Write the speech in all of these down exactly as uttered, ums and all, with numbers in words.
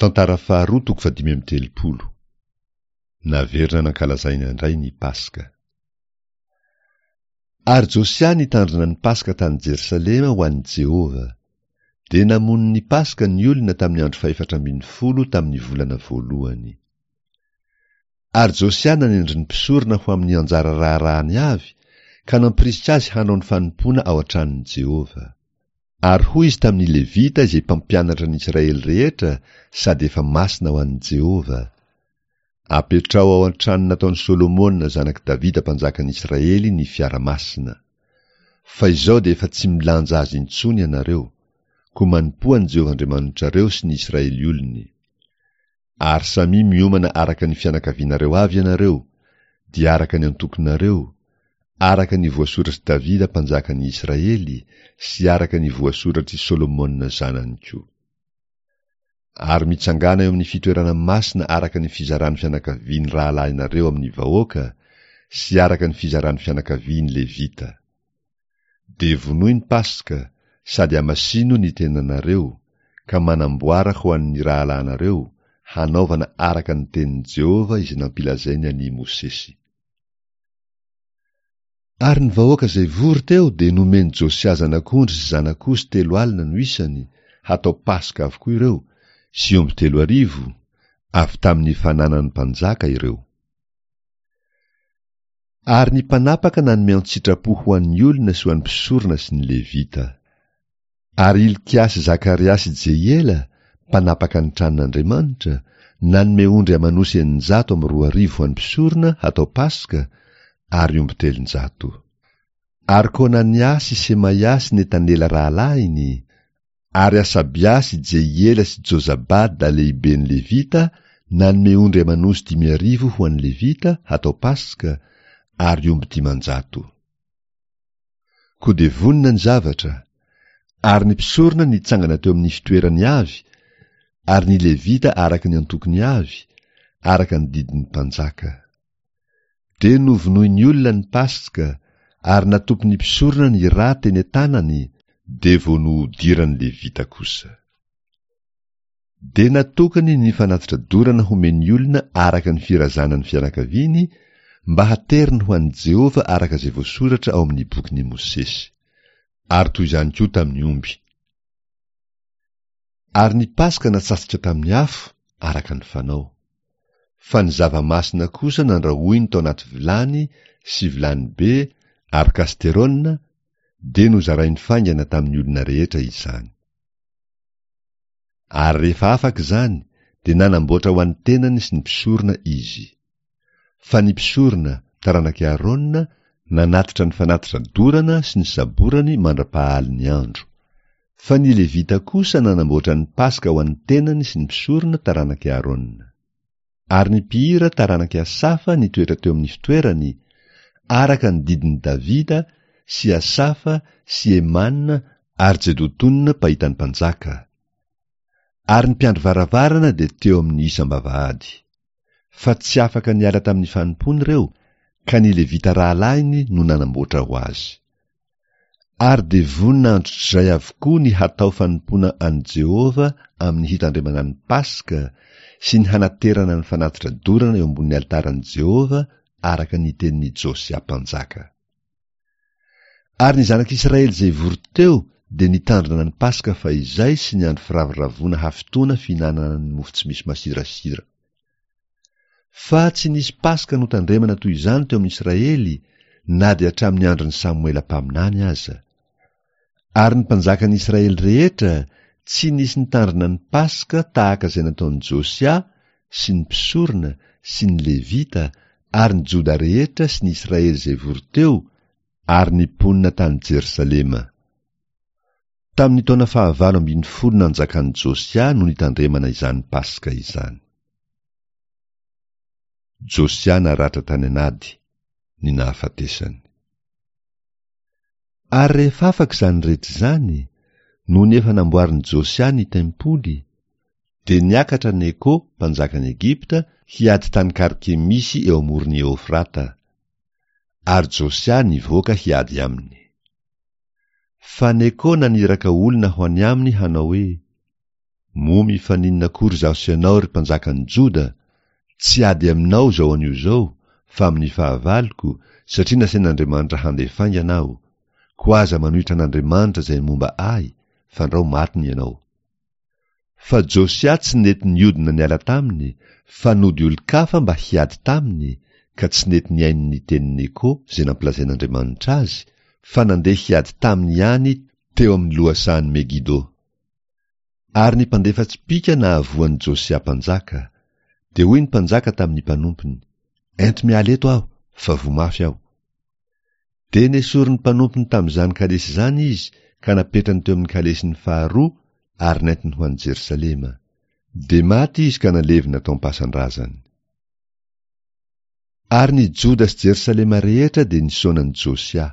Tantara faharoa toko fahadimy amby telopolo. Naverina nankalazaina indray ny Paska. Ary Josia nitandrina ny Paska tany Jerosalema ho an'i Jehovah. Dia namono ny Paska ny olona tamin'ny andro fahefatra ambin'ny folo tamin'ny volana voalohany. Ary Josia nanendry ny mpisorona ho amin'ny anjara raharahany avy, ka nampirisika azy hanao ny fanompoana ao an-tranon'i Jehovah. Ary hoy izy tamin'ny Levita izay mpampianatra ny Israely rehetra sady efa masina ho an'i Jehovah, Apetraho ao an-trano nataon'i Solomona zanak'i Davida mpanjakan'ny Israely ny fiara masina. Fa izao dia efa tsy milanja azy intsony ianareo, koa manompoa an'i Jehovah Andriamanitrareo sy ny Israely olony. Ary samia miomana araka ny fianakavianareo avy ianareo, dia araka ny antokonareo, araka ny voasoratr'i Davida mpanjakan'ny Israely sy araka ny voasoratr'i Solomona zanany koa. Ary mitsangàna eo amin'ny fitoerana masina araka ny fizaran'ny fianakavian'ny rahalahinareo amin'ny vahoaka sy araka ny fizaran'ny fianakavian'ny Levita. Dia vonoy ny Paska sady hamasino ny tenanareo, ka manamboara ho an'ny rahalahinareo, hanaovana araka ny tenin'i Jehovah izay nampilazainy an'i Mosesy. Ary ny vahoaka izay vory teo dia nomen'i Josia zanak'ondry sy zanak'osy telo alina no isany, hatao Paska avokoa ireo, sy omby telo arivo, avy tamin'ny fananan'ny mpanjaka ireo. Ary ny mpanapaka nanome an-tsitrapo ho an'ny olona sy ho an'ny mpisorona sy ny Levita. Ary Hilkia sy Zakaria sy Jehiela, mpanapaka ny tranon'Andriamanitra, nanome ondry aman'osy eninjato amby roa arivo ho an'ny mpisorona hatao Paska, ary omby telonjato. Ary Konania sy Semaia sy Netanela rahalahiny, ary Asabia sy Jehiela sy Jozabada lehiben'ny Levita nanome ondry aman'osy dimy arivo ho an'ny Levita hatao Paska, ary omby dimanjato. Koa dia vonona ny zavatra, ary ny mpisorona nitsangana teo amin'ny fitoerany avy, ary ny Levita araka ny antokony avy, araka ny didin'ny mpanjaka. Dia novonoin'ny olona ny Paska, ary natopin'ny mpisorona ny rà teny an-tanany, dia vao nohodiran'ny Levita kosa. Dia natokany ny fanatitra dorana homen'ny olona araka ny firazanan'ny fianakaviany, mba hateriny ho an'i Jehovah araka izay voasoratra ao amin'ny bokin'i Mosesy. Ary toy izany koa tamin'ny omby. Ary ny Paska natsatsika tamin'ny afo, araka ny fanao. Fa ny zava-masina kosa nandrahoiny tao anaty vilany sy vilany be ary kasterôna, dia nozarainy faingana tamin'ny olona rehetra izany. Ary rehefa afaka izany, dia nanamboatra ho an'ny tenany sy ny mpisorona izy. Fa ny mpisorona, taranak'i Aarona, nanatitra ny fanatitra dorana sy ny saborany mandra-pahalin'ny andro. Fa ny Levita kosa nanamboatra ny Paska ho an'ny tenany sy ny mpisorona taranak'i Aarona. Ary ny mpihira taranak'i Asafa nitoetra teo amin'ny fitoerany, araka ny didin'i Davida sy Asafa sy Emana ary Jedotona mpahita ny mpanjaka. Ary ny mpiandry varavarana dia teo amin'ny isam-bavahady. Fa tsy afaka niala tamin'ny fanompoany ireo, ka ny Levita rahalahiny no nanamboatra ho azy. Ary dia vonona androtr'izay avokoa ny hatao fanompoana an'i Jehovah amin'ny hitandremana ny Paska sy ny hanaterana ny fanatitra dorana eo ambonin'ny alitaran'i Jehovah araka ny tenin'i Josia mpanjaka. Ary ny zanak'Israely izay vory teo dia nitandrina ny Paska fahizay sy ny andro firavoravoana hafitoana fihinanana ny mofo tsy misy masirasira. Fa tsy nisy Paska notandremana toy izany teo amin'ny Israely na dia hatramin'ny andron'i Samoela mpaminany aza. Ary ny mpanjakan'ny Israely rehetra tsy nisy nitandrina ny Paska tahaka izay nataon'i Josia sy ny mpisorona sy ny Levita ary ny Joda rehetra sy ny Israely izay vory teo ary ny mponina tany Jerosalema. Tamin'ny taona fahavalo ambin'ny folo nanjakan'i Josia no nitandremana izany Paska izany. Josia naratra tany an'ady, ny nahafatesany. Ary rehefa afaka izany rehetra izany, nony efa namboarin'i Josia ny tempoly, dia niakatra Neko, mpanjakan'i Egypta, hiady tany Karkemisy eo amoron'i Eofrata. Ary Josia nivoaka hiady aminy. Fa Neko naniraka olona ho any aminy hanao hoe: Moa mifaninona akory izaho sy ianao, ry mpanjakan'ny Joda? Tsy ady aminao izao anio izao, fa amin'ny fahavaloko, satria nasain'Andriamanitra handeha faingana aho. Koa aza manohitra an'Andriamanitra izay momba ahy, fandrao matiny ianao. Fa Josia tsy nety niodina niala taminy, fa nody olon-kafa mba hiady taminy, ka tsy nety nihaino ny tenin'i Neko izay nampilazain'Andriamanitra azy, fa nandeha hiady taminy ihany teo amin'ny lohasahan'i Megido. Ary ny mpandefa tsipìka nahavoa an'i Josia mpanjaka. Dia hoy ny mpanjaka tamin'ny mpanompony, Ento miala eto aho, fa voa mafy aho. Dia nesorin'ny mpanompony tamin'izany kalesy izany izy ka napetrany teo amin'ny kalesiny faharoa ary nentiny ho any Jerosalema. Dia maty izy ka nalevina tao am-pasan-drazany. Ary ny Joda sy Jerosalema rehetra dia nisaona an'i Josia.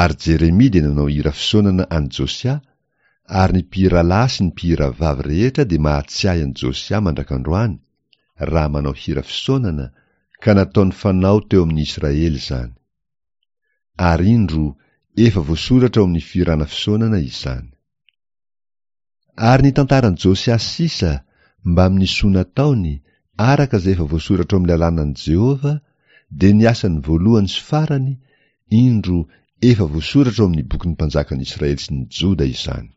Ary Jeremia dia nanao hira fisaonana an'i Josia, ary ny mpihira lahy sy ny mpihira vavy rehetra dia mahatsiahy an'i Josia mandrak'androany, raha manao hira fisaonana, ka nataony fanao teo amin'ny Israely izany. Ary indro, efa voasoratra ao amin'ny fihirana fisaonana izany. Ary ny tantaran'i Josia sisa, mbamin'ny soa nataony, araka izay efa voasoratra ao amin'ny lalànan'i Jehovah, dia ny asany voalohany sy farany, indro, efa voasoratra ao amin'ny bokin'ny mpanjakan'ny Israely sy ny Joda izany.